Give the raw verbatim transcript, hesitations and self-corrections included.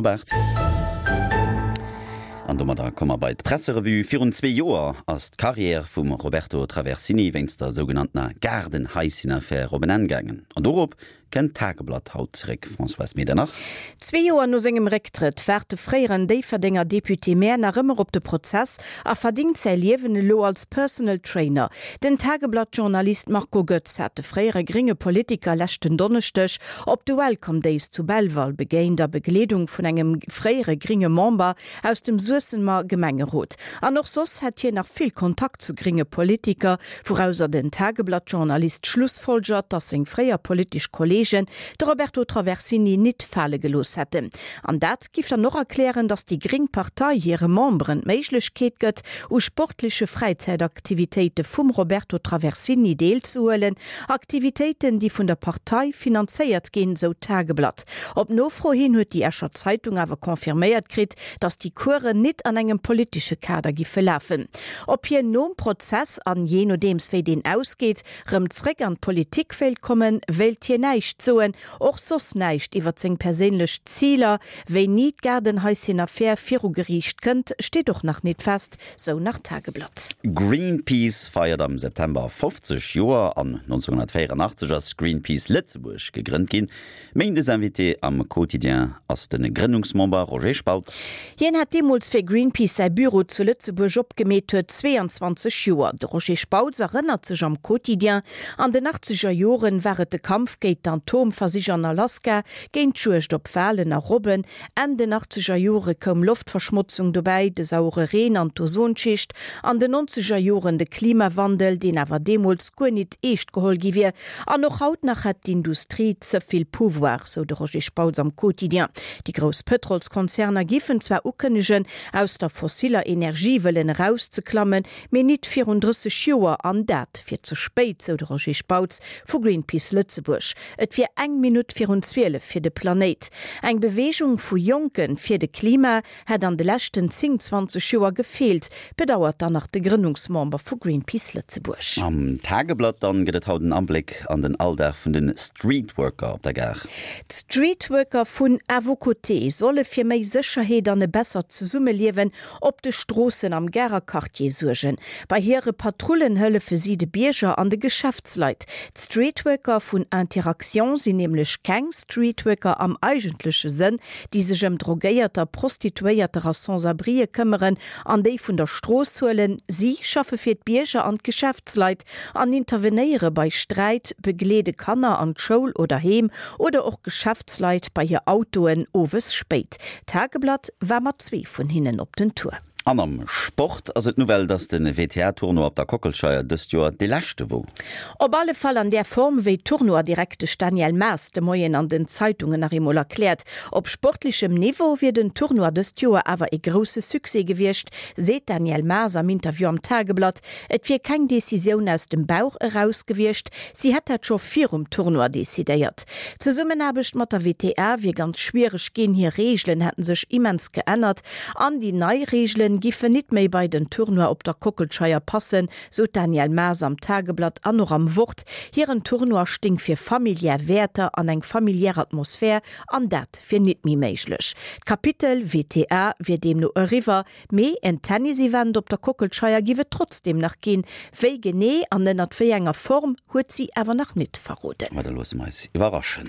Op aacht. An domadder komme mer bei d'Presserevue. Virun zwee Joer ass d'Karriär vum Roberto Traversini wéinst der sougenanntener Gaardenhaisschen-Affär op en Enn gaangen. An dorop kënnt d'Tageblatt haut zeréck. Françoise Medernach. Zwee Joer no sengem Récktrëtt waart de fréieren Déifferdenger Député-Maire nach ëmmer op de Prozess a verdingt säi Liewen elo als Personal Trainer. Den Tageblatt-Journalist Marco Goetz hat de fréiere grénge Politiker leschten Donneschdeg op de Welcome Days zu Belval begéint a Begleedung vun engem fréiere grénge Member aus dem Suessemer Gemengerot. An och soss hätt hien nach vill Kontakt zu grénge Politiker, wourauser den Tageblatt-Journalist schlussfolgert, datt seng fréier politesch Kolleegen de Roberto Traversini nit fale gelooss hätten. An dat giff dann och erklären, datt déi gréng Partei hire Memberen d'Méiglechkeet gëtt, u sportleche Fräizäitaktivitéite vum Roberto Traversini deelzehuelen, Aktivitéiten, déi vun der Partei finanzéiert ginn, sou d'Tageblatt. Op Nofro hin huet déi Escher Zeitung awer confirméiert kritt, datt déi Coursen nit an engem politesche Kader giffe lafen. Ob hien nom Prozess, an jee nodeems wéi deen ausgeet, rëm zréck an d'Politik wéilt kommen, wéilt hien näischt soen, och soss näischt iwwer seng perséinlech Ziler, wéini d'Gaardenhaisschen-Affär viru Geriicht kënnt, steet och nach nit fest, sou nach d'Tageblatt. Greenpeace feiert am September fofzeg Joer an nonzénghonnertvéieranachtzeg ass Greenpeace Lëtzebuerg gegrënnt ginn. Méindes-Invité am Quotidien ass de Grënnungsmember Roger Spautz. Hien hat deemools fir Greenpeace säi Büro zu Lëtzebuerg opgemeet huet zweeanzwanzeg Joer. De Roger Spautz erënnert sech am Quotidien, An den achtzeger Joren war et de Kampf géint d'Atomversich an Alaska, géint d'Juegd op Walen a Robben. Enn den achtzeger Jore koum Loftverschmotzung dobäi, de sauere Reen an d'Ozonschicht. An den nonzeger Joren de Klimawandel, deen awer deemools guer nit eescht geholl gi wier. An och haut nach hätt d'Industrie ze vill Pouvoir, sou de Roger Spautz am Quotidien. Déi grouss Pëtrolskonzerner giffen zwar ukënnegen, aus der fossiller Energie wëllen erauszeklammen, mee nit virun drësseg Joer, an dat wier ze spéit, sou de Roger Spautz vu Greenpeace Lëtzebuerg. Et wier eng Minutt virun zwielef fir de Planéit. Eng Beweegung vu Jonke fir de Klima hätt an de leschten zéng, zwanzeg Joer gefeelt, bedauert dann nach de Grënnungsmember vu Greenpeace Lëtzebuerg. Am Tageblatt dann gëtt et haut en Abléck an den Alldag vun de Streetworker op der Gare. D'Streetworker vun À vos côtés solle fir méi Sécherheet an e bessert Zesummeliewen op de Stroossen am Garer Quartier suergen. Bei hire Patrullen hëllefe si de Bierger an de Geschäftsleit. D'Streetworker vun Interaction sinn nämlech keng Streetworker am eigentleche Sënn, déi sech ëm Drogéierter, Prostituéierter a Sans-abrië këmmeren an déi vun der Strooss huelen. Si schaffe fir d'Bierger an d'Geschäftsleit an intervenéiere bei Sträit, begleede Kanner an d'Schoul oder heem oder och Geschäftsleit bei hir Autoen owes spéit. D'Tageblatt war mat zwee vun hinnen op den Tour. An am Sport ass et d'Nouvelle, dass de W T A-Tournoi op der Kockelscheier dëst Joer dee leschte wor. Op alle Fall an där Form, wéi d'Tournoi-Direktesch Danièle Maas de Moien an den Zeitungen nach eemol erkläert. Op sportlechem Niveau wier den Tournoi dëst Joer awer e grousse Succès gewiescht, seet d'Danièle Maas am Interview am Tageblatt. Et wier keng Decisioun aus dem Bauch eraus gewiescht, si hätt dat scho virum Tournoi decidéiert. D'Zesummenaarbecht mat der W T A wier ganz schwiereg ginn, hir Reegelen hätten sech immens geännert an déi nei Reegelen giffen nit méi bei den Tournoi op der Kockelscheier passen, sou d'Danièle Maas am Tageblatt an och am Wort. Hiren Tournoi sting fir familiär Wäerter an eng familiär Atmosphär an dat wier nit méi méiglech. D'Kapitel W T A wier deemno eriwwer, mee en Tennis-Event op der Kockelscheier giff et trotzdeem nach ginn. Wéi genee an ënnert wéi enger Form huet si awer nach nit verroden. Ma da loosse mer eis iwwerraschen.